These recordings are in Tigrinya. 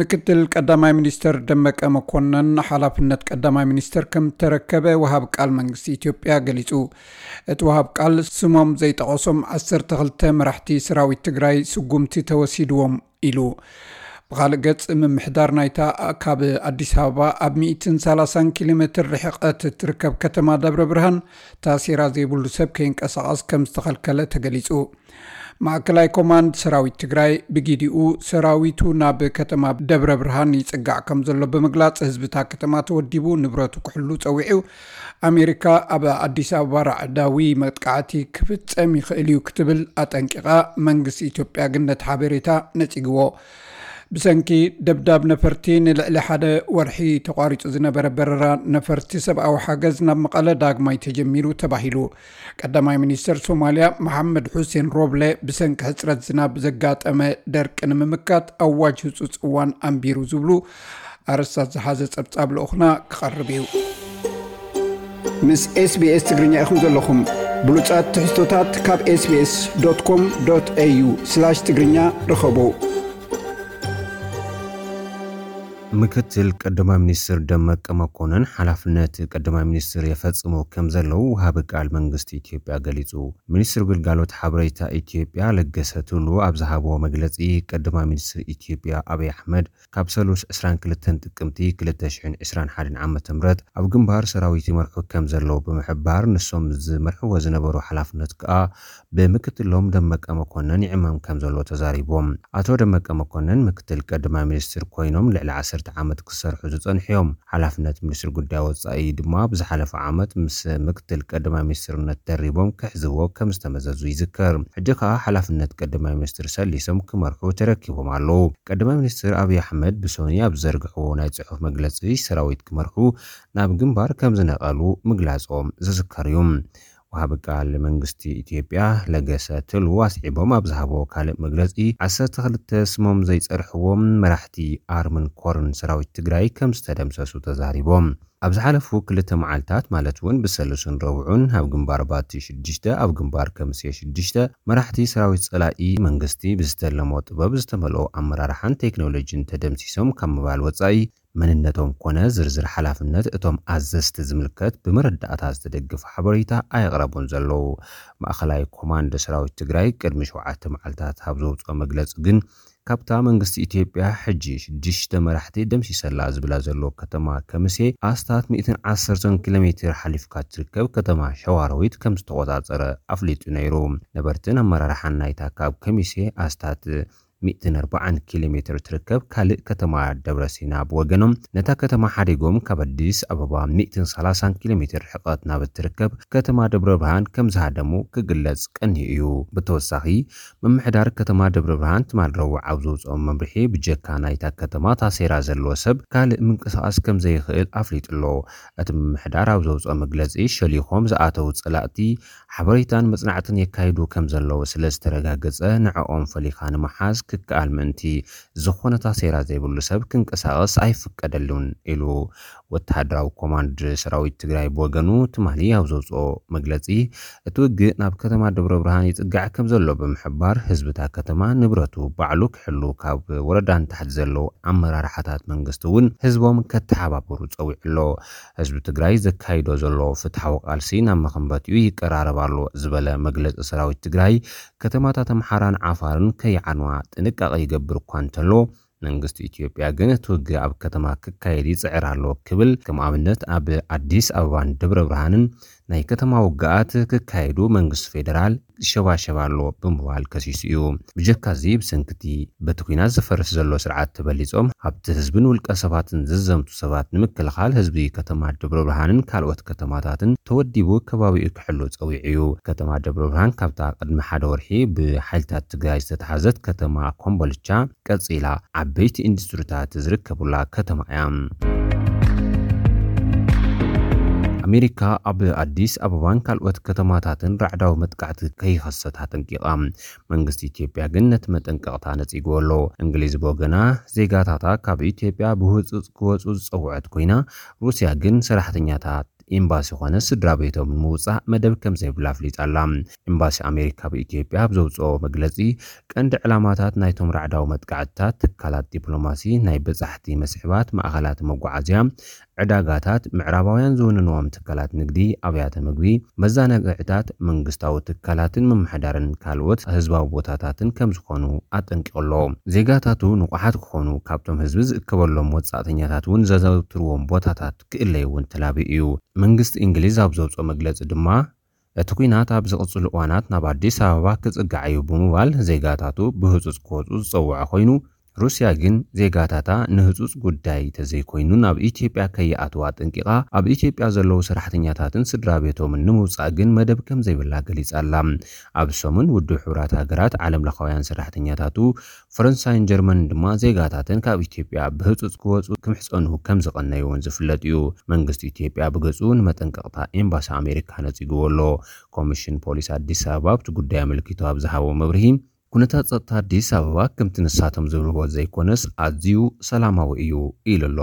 ምክትል ቀዳማይ ሚኒስተር ደመቀ መኮነን ሓላፍነት ቀዳማይ ሚኒስተር ከም ተረከበ ወሃብ ቃል መንግስቲ ኢትዮጵያ ገሊጹ። እቲ ወሃብ ቃል ስሞም ዘይጠቐሶም ዓሰርተ ክልተ መራሕቲ ሰራዊት ትግራይ ስጉምቲ ተወሲድዎም ኢሉ። ብኻልእ ገጽ፣ ምምሕዳር ናይታ ካብ ኣዲስ ኣበባ ኣብ ሚእትን ሰላሳን ኪሎ ሜትር ርሕቀት እትርከብ ከተማ ደብረ ብርሃን ታሴራ ዘይብሉ ሰብ ከይንቀሳቐስ ከም ዝተኸልከለ ተገሊጹ። ማእከላይ ኮማንድ ሰራዊት ትግራይ ብጊዲኡ ሰራዊቱ ናብ ከተማ ደብረ ብርሃን ይጽጋዕ ከም ዘሎ ብምግላጽ፣ ህዝብታ ከተማ ተወዲቡ ንብረቱ ክሕሉ ጸዊዑ። ኣሜሪካ ኣብ ኣዲስ ኣበባ ራዕዳዊ መጥቃዕቲ ክፍጸም ይኽእል እዩ ክትብል ኣጠንቂቓ። መንግስቲ ኢትዮጵያ ግን ነቲ ሓበሬታ ነጺግዎ። ብሰንኪ ደብዳብ ነፈርቲ ንልዕሊ ሓደ ወርሒ ተቋሪጹ ዝነበረ በረራ ነፈርቲ ሰብኣዊ ሓገዝ ናብ መቐለ ዳግማይ ተጀሚሩ ተባሂሉ። ቀዳማይ ሚኒስተር ሶማልያ መሓመድ ሑሴን ሮብለ ብሰንኪ ሕጽረት ዝናብ ዘጋጠመ ደርቂ ንምምካት ኣዋጅ ህጹጽ እዋን ኣንቢሩ ዝብሉ ኣርእስታት ዝሓዘ ጸብጻብ ልኡኽና ክቐርብ እዩ። ምስ ኤስቢኤስ ትግርኛ ኢኹም ዘለኹም። ብሉጻት ትሕዝቶታት ካብ ኤስቢኤስ ዶት ኮም ዶት ኤዩ ስላሽ ትግርኛ ርኸቡ። ምክትል ቀዳማይ ሚኒስትር ደመቀ መኮንን ሓላፍነት ቀዳማይ ሚኒስትር የፈጽሙ ከም ዘለዉ ወሃቢ ቃል መንግስቲ ኢትዮጵያ ገሊጹ። ሚኒስትር ግልጋሎት ሓበሬታ ኢትዮጵያ ለገሰ ቱሉ ኣብ ዝሃብዎ መግለጺ፣ ቀዳማይ ሚኒስትር ኢትዮጵያ ኣብይ ኣሕመድ ካብ ሰሉስ ዕስራን ክልተን ጥቅምቲ ክልተ ሽሕን ዕስራን ሓደን ዓመተ ምህረት ኣብ ግንባር ሰራዊት ይመርሑ ከም ዘለዉ ብምሕባር፣ ንሶም ዝመርሕዎ ዝነበሩ ሓላፍነት ከኣ ብምክትሎም ደመቀ መኮነን ይዕመም ከም ዘሎ ተዛሪቦም። ኣቶ ደመቀ መኮነን ምክትል ቀዳማይ ሚኒስትር ኮይኖም ልዕሊ ዓሰርተ ዓመት ክሰርሑ ዝጸንሑ እዮም። ሓላፍነት ሚኒስትር ጉዳይ ወጻኢ ድማ ብዝሓለፈ ዓመት ምስ ምክትል ቀዳማይ ሚኒስትርነት ደሪቦም ክሕዝዎ ከም ዝተመዘዙ ይዝከር። ሕጂ ከኣ ሓላፍነት ቀዳማይ ሚኒስትር ሰሊሶም ክመርሑ ተረኪቦም ኣለዉ። ቀዳማይ ሚኒስትር ኣብይ ኣሕመድ ብሶኒ ኣብ ዝዘርግሕዎ ናይ ጽሑፍ መግለጺ፣ ሰራዊት ክመርሑ ናብ ግንባር ከም ዝነቐሉ ምግላጾም ዝዝከር እዩ። ወሃቢ ቃል መንግስቲ ኢትዮጵያ ለገሰ ቱሉ ኣስዒቦም ኣብ ዝሃብዎ ካልእ መግለጺ፣ ዓሰርተ ክልተ ስሞም ዘይጸርሕዎም መራሕቲ ኣርምን ኮርን ሰራዊት ትግራይ ከም ዝተደምሰሱ ተዛሪቦም። ኣብ ዝሓለፉ ክልተ መዓልታት፣ ማለት እውን ብሰሉስን ረቡዕን፣ ኣብ ግንባር ባቲ ሽዱሽተ፣ ኣብ ግንባር ከምሴ ሽዱሽተ፣ መራሕቲ ሰራዊት ጸላኢ መንግስቲ ብዝተለሞ ጥበብ ዝተመልኦ ኣመራርሓን ቴክኖሎጂን ተደምሲሶም ካብ ምባል ወጻኢ፣ መንነቶም ኮነ ዝርዝር ሓላፍነት እቶም ኣዘዝቲ ዝምልከት ብመረዳእታ ዝተደገፈ ሓበሬታ ኣየቕረቡን ዘለዉ። ማእኸላይ ኮማንድ ሰራዊት ትግራይ ቅድሚ ሸውዓተ መዓልታት ኣብ ዘውፅኦ መግለፂ ግን፣ ካብታ መንግስቲ ኢትዮጵያ ሕጂ ሽዱሽተ መራሕቲ ደምሲሰላ ዝብላ ዘሎ ከተማ ከምሴ ኣስታት ሚእትን ዓሰርተን ኪሎ ሜትር ሓሊፍካ ትርከብ ከተማ ሸዋሮዊት ከም ዝተቆጻጸረ ኣፍሊጡ ነይሩ። ነበርትን ኣመራርሓን ናይታ ካብ ከሚሴ ኣስታት ሚእትን ኣርባዓን ኪሎ ሜትር ትርከብ ካልእ ከተማ ደብረ ሲና ብወገኖም፣ ነታ ከተማ ሓዲጎም ካብ ኣዲስ ኣበባ ሚእትን ሰላሳን ኪሎ ሜትር ርሕቀት ናብ እትርከብ ከተማ ደብረ ብርሃን ከም ዝሃደሙ ክግለጽ ቀንዩ እዩ። ብተወሳኺ፣ ምምሕዳር ከተማ ደብረ ብርሃን ትማል ረቡዕ ኣብ ዘውፅኦ መምርሒ፣ ብጀካ ናይታ ከተማ ታሴራ ዘለዎ ሰብ ካልእ ምንቅስቓስ ከም ዘይኽእል ኣፍሊጡ ኣሎ። እቲ ምምሕዳር ኣብ ዘውፅኦ መግለፂ፣ ሸሊኾም ዝኣተዉ ፀላእቲ ሓበሬታን መጽናዕትን የካይዱ ከም ዘለዉ ስለ ዝተረጋገጸ፣ ንዕኦም ፈሊኻ ንምሓዝ ክከኣል ምእንቲ፣ ዝኾነ ታሴራ ዘይብሉ ሰብ ክንቀሳቐስ ኣይፍቀደሉን ኢሉ። ወተሃደራዊ ኮማንድ ሰራዊት ትግራይ ብወገኑ ትማሊ ኣብ ዘውፅኦ መግለጺ፣ እቲ ውግእ ናብ ከተማ ደብረ ብርሃን ይጽጋዕ ከም ዘሎ ብምሕባር፣ ህዝቢ እታ ከተማ ንብረቱ ባዕሉ ክሕሉ፣ ካብ ወረዳ ንታሕቲ ዘለዉ ኣመራርሓታት መንግስቲ እውን ህዝቦም ከተሓባብሩ ጸዊዑ ኣሎ። ህዝቢ ትግራይ ዘካይዶ ዘሎ ፍትሓዊ ቃልሲ ናብ መኸንበቲኡ ይቀራረብ ኣሎ ዝበለ መግለጺ ሰራዊት ትግራይ፣ ከተማታት ኣምሓራን ዓፋርን ከይዓንዋ ጥንቃቐ ይገብር እኳ እንተሎ፣ መንግስቲ ኢትዮጵያ ግን እቲ ውግእ ኣብ ከተማ ክካየድ ይጽዕር ኣሎ ክብል፣ ከም ኣብነት ኣብ ኣዲስ ኣበባን ደብረ ብርሃንን ናይ ከተማ ውግኣት ክካየዱ መንግስቲ ፌደራል ይሸባሸብ ኣሎ ብምባል ከሲሱ እዩ። ብጀካ እዚ፣ ብሰንኪ እቲ በቲ ኲናት ዝፈርስ ዘሎ ስርዓት ተበሊጾም፣ ኣብቲ ህዝብን ውልቀ ሰባትን ዝዘምቱ ሰባት ንምክልኻል፣ ህዝቢ ከተማ ደብረ ብርሃንን ካልኦት ከተማታትን ተወዲቡ ከባቢኡ ክሕሉ ጸዊዑ እዩ። ከተማ ደብረ ብርሃን፣ ካብታ ቅድሚ ሓደ ወርሒ ብሓይልታት ትግራይ ዝተታሕዘት ከተማ ኮምቦልቻ ቀጺላ፣ ዓበይቲ ኢንዱስትሪታት ዝርከቡላ ከተማ እያ። ኣሜሪካ ኣብ ኣዲስ ኣበባን ካልኦት ከተማታትን ራዕዳዊ መጥቃዕቲ ከይኸሰት ኣጠንቂቓ። መንግስቲ ኢትዮጵያ ግን ነቲ መጠንቀቕታ ነጺግዎ ኣሎ። እንግሊዝ ብወገና፣ ዜጋታታ ካብ ኢትዮጵያ ብህጹጽ ክወጹ ዝጸውዐት ኮይና፣ ሩስያ ግን ሰራሕተኛታት ኤምባሲ ኮነ ስድራ ቤቶም ንምውጻእ መደብ ከም ዘይብላ ኣፍሊጣ ኣላ። ኤምባሲ ኣሜሪካ ኣብ ኢትዮጵያ ኣብ ዘውጽኦ መግለጺ፣ ቀንዲ ዕላማታት ናይቶም ራዕዳዊ መጥቃዕትታት ትካላት ዲፕሎማሲ፣ ናይ በጻሕቲ መስሕባት፣ ማእኸላት መጓዓዝያ፣ ዕዳጋታት፣ ምዕራባውያን ዝውንንዎም ትካላት ንግዲ፣ ኣብያተ ምግቢ፣ መዘናግዕታት፣ መንግስታዊ ትካላትን ምምሕዳርን ካልኦት ህዝባዊ ቦታታትን ከም ዝኾኑ ኣጠንቂቑ ኣሎ። ዜጋታቱ ንቑሓት ክኾኑ፣ ካብቶም ህዝቢ ዝእከበሎም ወጻእተኛታት እውን ዘዘውትርዎም ቦታታት ክእለዩ እውን ተላብዩ እዩ። መንግስቲ እንግሊዝ ኣብ ዘውፅኦ መግለፂ ድማ፣ እቲ ኲናት ኣብ ዝቕፅሉ እዋናት ናብ ኣዲስ ኣበባ ክፅጋዕ እዩ ብምባል ዜጋታቱ ብህፁፅ ክወፁ ዝፀውዐ ኮይኑ፣ ሩስያ ግን ዜጋታታ ንህፁፅ ጉዳይ ተዘይኮይኑ ናብ ኢትዮጵያ ከይኣትዋ ኣጠንቂቓ፣ ኣብ ኢትዮጵያ ዘለዉ ሰራሕተኛታትን ስድራ ቤቶምን ንምውፃእ ግን መደብ ከም ዘይብላ ገሊጻ ኣላ። ኣብ ሰሙን ውድብ ሕቡራት ሃገራት ዓለም ለኻውያን ሰራሕተኛታቱ ፈረንሳይን ጀርመንን ድማ ዜጋታተን ካብ ኢትዮጵያ ብህፁፅ ክወፁ ክምሕፀኑ ከም ዝቐነዩ እውን ዝፍለጥ እዩ። መንግስቲ ኢትዮጵያ ብገፁ ንመጠንቀቕታ ኤምባሲ ኣሜሪካ ነፂግዎ ኣሎ። ኮሚሽን ፖሊስ ኣዲስ ኣበባ ኣብቲ ጉዳይ ኣመልኪቱ ኣብ ዝሃቦ መብርሂ፣ ኩነታት ጸጥታ ኣዲስ ኣበባ ከምቲ ንሳቶም ዝብልዎ ዘይኮነስ ኣዝዩ ሰላማዊ እዩ ኢሉ ኣሎ።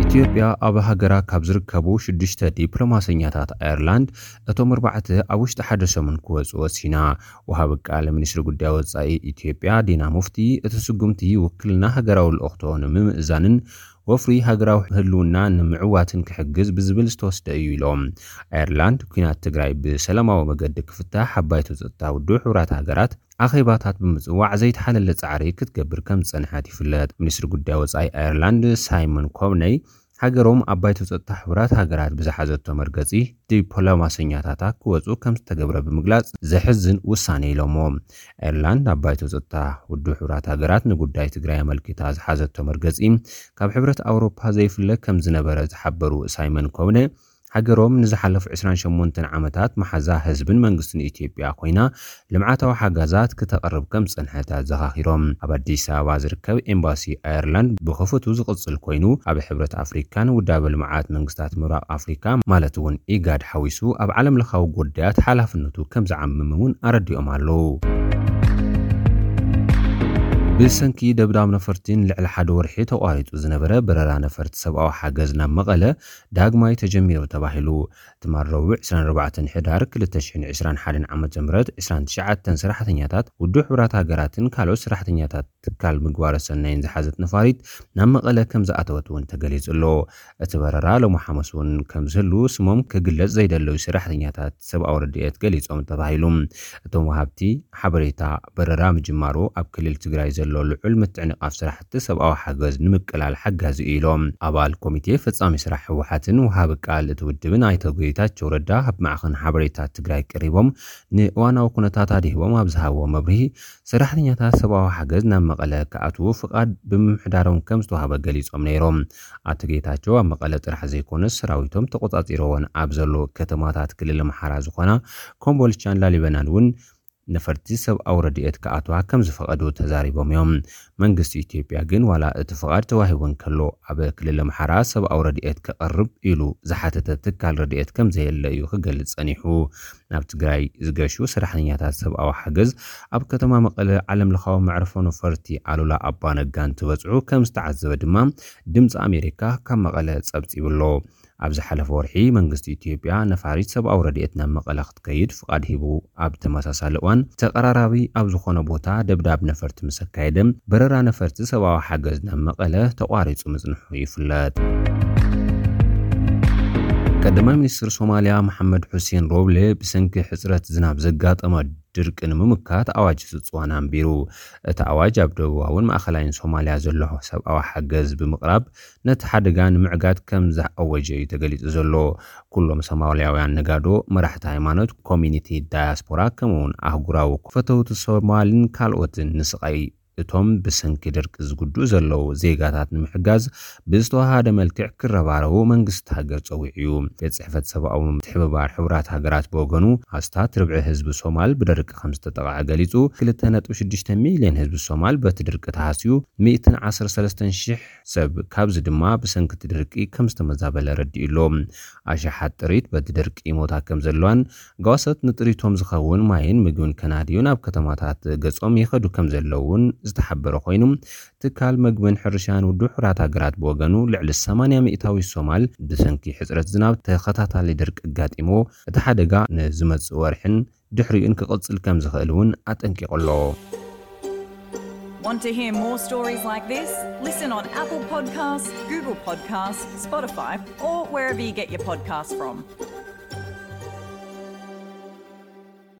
ኢትዮጵያ ኣብ ሃገራ ካብ ዝርከቡ ሽዱሽተ ዲፕሎማሰኛታት ኣየርላንድ እቶም ኣርባዕተ ኣብ ውሽጢ ሓደ ሰሙን ክወጹ ወሲና። ወሃቢ ቃል ሚኒስትሪ ጉዳይ ወጻኢ ኢትዮጵያ ዲና ሙፍቲ፣ እቲ ስጉምቲ ውክልና ሃገራዊ ልእኽቶ ንምምእዛንን ወፍሪ ሃገራዊ ህልውና ንምዕዋትን ክሕግዝ ብዝብል ዝተወስደ እዩ ኢሎም። ኣየርላንድ፣ ኲናት ትግራይ ብሰላማዊ መገዲ ክፍታሕ ኣብ ባይቶ ጸጥታ ውድብ ሕቡራት ሃገራት ኣኼባታት ብምጽዋዕ ዘይተሓለለ ጻዕሪ ክትገብር ከም ዝጸንሐት ይፍለጥ። ሚኒስትሪ ጉዳይ ወጻኢ ኣየርላንድ ሳይመን ኮብነይ፣ ሃገሮም ኣብ ባይቶ ጸጥታ ሕቡራት ሃገራት ብዝሓዘቶ መርገጺ፣ ዲፕሎማሰኛታታ ክወጹ ከም ዝተገብረ ብምግላጽ፣ ዘሕዝን ውሳኔ ኢሎሞ። ኣየርላንድ ኣብ ባይቶ ጸጥታ ውድብ ሕቡራት ሃገራት ንጉዳይ ትግራይ ኣመልኪታ ዝሓዘቶ መርገጺ፣ ካብ ሕብረት ኣውሮፓ ዘይፍለ ከም ዝነበረ ዝሓበሩ ሳይመን ኮብነ፣ ሃገሮም ንዝሓለፉ ዕስራን ሸሞንተን ዓመታት መሓዛ ህዝብን መንግስትን ኢትዮጵያ ኮይና፣ ልምዓታዊ ሓገዛት ክተቕርብ ከም ዝጸንሐት ኣዘኻኺሮም። ኣብ ኣዲስ ኣበባ ዝርከብ ኤምባሲ ኣየርላንድ ብኽፉቱ ዝቕጽል ኮይኑ፣ ኣብ ሕብረት ኣፍሪካን ውዳበ ልምዓት መንግስታት ምብራቕ ኣፍሪካ፣ ማለት እውን ኢጋድ ሓዊሱ፣ ኣብ ዓለም ለኻዊ ጉዳያት ሓላፍነቱ ከም ዝዓምም እውን ኣረዲኦም ኣለዉ። ብሰንኪ ደብዳብ ነፈርቲ ንልዕሊ ሓደ ወርሒ ተቋሪጹ ዝነበረ በረራ ነፈርቲ ሰብኣዊ ሓገዝ ናብ መቐለ ዳግማይ ተጀሚሩ ተባሂሉ። ትማል ረቡዕ ዕስራን ኣርባዕተን ሕዳር ክልተ ሽሕን ዕስራን ሓደን ዓመተ ምህረት ዕስራን ትሽዓተን ሰራሕተኛታት ውድብ ሕቡራት ሃገራትን ካልኦት ሰራሕተኛታት ትካል ምግባረ ሰናይን ዝሓዘት ነፋሪት ናብ መቐለ ከም ዝኣተወት እውን ተገሊጹ ኣሎ። እቲ በረራ ሎሚ ሓሙስ እውን ከም ዝህሉ ስሞም ክግለጽ ዘይደለዩ ሰራሕተኛታት ሰብኣዊ ረድኤት ገሊጾም ተባሂሉ። እቶም ወሃብቲ ሓበሬታ፣ በረራ ምጅማሩ ኣብ ክልል ትግራይ ዘሎ ልዑል ምትዕንቓፍ ስራሕቲ ሰብኣዊ ሓገዝ ንምቅላል ሓጋዚ እዩ ኢሎም። ኣባል ኮሚቴ ፈጻሚ ስራሕ ህወሓትን ወሃቢ ቃል እቲ ውድብን ኣይተ ጌታቸው ረዳ ኣብ ማዕኸን ሓበሬታ ትግራይ ቀሪቦም ንእዋናዊ ኩነታት ኣድሂቦም ኣብ ዝሃብዎ መብርሂ፣ ሰራሕተኛታት ሰብኣዊ ሓገዝ ናብ መቐለ ክኣትዉ ፍቓድ ብምምሕዳሮም ከም ዝተዋህበ ገሊጾም ነይሮም። ኣቶ ጌታቸው ኣብ መቐለ ጥራሕ ዘይኮነስ ሰራዊቶም ተቆጻጺሮወን ኣብ ዘሎ ከተማታት ክልል ኣምሓራ ዝኾና ኮምቦልቻን ላሊበላን እውን ነፈርቲ ሰብኣዊ ረድኤት ክኣትዋ ከም ዝፈቐዱ ተዛሪቦም እዮም። መንግስቲ ኢትዮጵያ ግን ዋላ እቲ ፍቓድ ተዋሂቡ እንከሎ ኣብ ክልል ኣምሓራ ሰብኣዊ ረድኤት ከቐርብ ኢሉ ዝሓተተ ትካል ረድኤት ከም ዘየለ እዩ ክገልጽ ጸኒሑ። ናብ ትግራይ ዝገሹ ሰራሕተኛታት ሰብኣዊ ሓገዝ ኣብ ከተማ መቐለ ዓለም ለኻዊ መዕርፎ ነፈርቲ ኣሉላ ኣባ ነጋ እንትበጽሑ ከም ዝተዓዘበ ድማ ድምፂ ኣሜሪካ ካብ መቐለ ጸብጺቡ ኣሎ። ኣብ ዝሓለፈ ወርሒ መንግስቲ ኢትዮጵያ ነፋሪት ሰብኣዊ ረድኤት ናብ መቐለ ክትከይድ ፍቓድ ሂቡ ኣብ ተመሳሳሊ እዋን ተቐራራቢ ኣብ ዝኾነ ቦታ ደብዳብ ነፈርቲ ምስ ኣካየደ በረራ ነፈርቲ ሰብኣዊ ሓገዝ ናብ መቐለ ተቋሪጹ ምጽንሑ ይፍለጥ። ቀዳማይ ሚኒስትር ሶማልያ መሓመድ ሑሴን ሮብሌ ብሰንኪ ሕጽረት ዝናብ ዘጋጠመ ድርቂ ንምምካት ኣዋጅ ስጽዋን ኣንቢሩ። እቲ ኣዋጅ ኣብ ደቡባውን ማእኸላይን ሶማልያ ዘሎ ሰብኣዊ ሓገዝ ብምቕራብ ነቲ ሓደጋ ንምዕጋት ከም ዝኣወጀ እዩ ተገሊጹ ዘሎ። ኩሎም ሶማልያውያን ነጋዶ፣ መራሕቲ ሃይማኖት፣ ኮሚኒቲ ዳያስፖራ ከምኡውን ኣህጉራዊ ፈተውቲ ሶማልን ካልኦትን ንስቓይ እቶም ብሰንኪ ድርቂ ዝጉድኡ ዘለዉ ዜጋታት ንምሕጋዝ ብዝተዋሃደ መልክዕ ክረባረቡ መንግስቲ ሃገር ጸዊዑ እዩ። ቤት ጽሕፈት ሰብኣዊ ምትሕብባር ሕቡራት ሃገራት ብወገኑ፣ ኣስታት ርብዒ ህዝቢ ሶማል ብደርቂ ከም ዝተጠቕዐ ገሊጹ፣ ክልተ ነጥቢ ሽዱሽተ ሚልዮን ህዝቢ ሶማል በቲ ድርቂ ተሃስዩ፣ ሚእትን ዓሰርተ ሰለስተን ሽሕ ሰብ ካብዚ ድማ ብሰንኪ እቲ ድርቂ ከም ዝተመዛበለ ረዲኡ ኣሎ። ኣሽሓት ጥሪት በቲ ድርቂ ይሞታ ከም ዘለዋን ጓሶት ንጥሪቶም ዝኸውን ማይን ምግብን ከናድዩ ናብ ከተማታት ገጾም ይኸዱ ከም ዘለውን ዝተሓበረ ኮይኑ፣ ትካል መግብን ሕርሻን ውድብ ሕቡራት ሃገራት ብወገኑ፣ ልዕሊ ሰማንያ ሚእታዊ ሶማል ብሰንኪ ሕጽረት ዝናብ ተኸታታሊ ድርቂ ኣጋጢምዎ፣ እቲ ሓደጋ ንዝመጽእ ወርሕን ድሕሪኡን ክቕጽል ከም ዝኽእል እውን ኣጠንቂቑ ኣሎ። Want to hear more stories like this? Listen on Apple Podcasts, Google Podcasts, Spotify, or wherever you get your podcasts from.